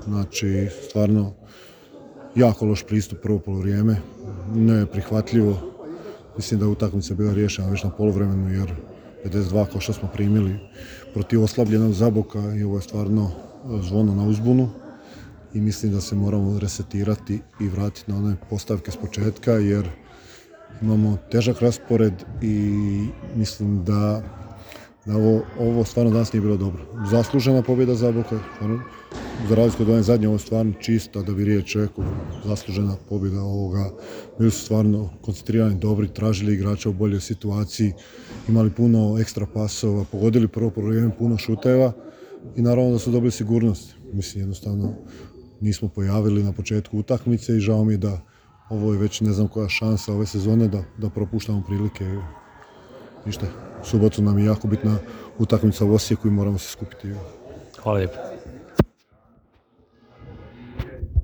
Znači stvarno jako loš pristup prvo polovrijeme, neprihvatljivo. Mislim da je utakmica bila riješena već na poluvremenu jer 52 kao što smo primili protiv oslabljenog Zaboka i ovo je stvarno zvono na uzbunu i mislim da se moramo resetirati i vratiti na one postavke s početka jer imamo težak raspored i mislim da ovo stvarno danas nije bilo dobro. Zaslužena pobjeda Zaboka, za razliku od one zadnje, ovo je stvarno čista, da bi riječ rekao, zaslužena pobjeda ovoga. Bili su stvarno koncentrirani, dobri, tražili igrača u boljoj situaciji, imali puno ekstra pasova, pogodili prvo vrijeme puno šuteva i naravno da su dobili sigurnost. Mislim, jednostavno nismo pojavili na početku utakmice i žao mi je da ovo je već ne znam koja šansa ove sezone da propuštamo prilike. Ništa, u subotu nam je jako bitna utakmica u Osijeku i moramo se skupiti. Hvala lijepo.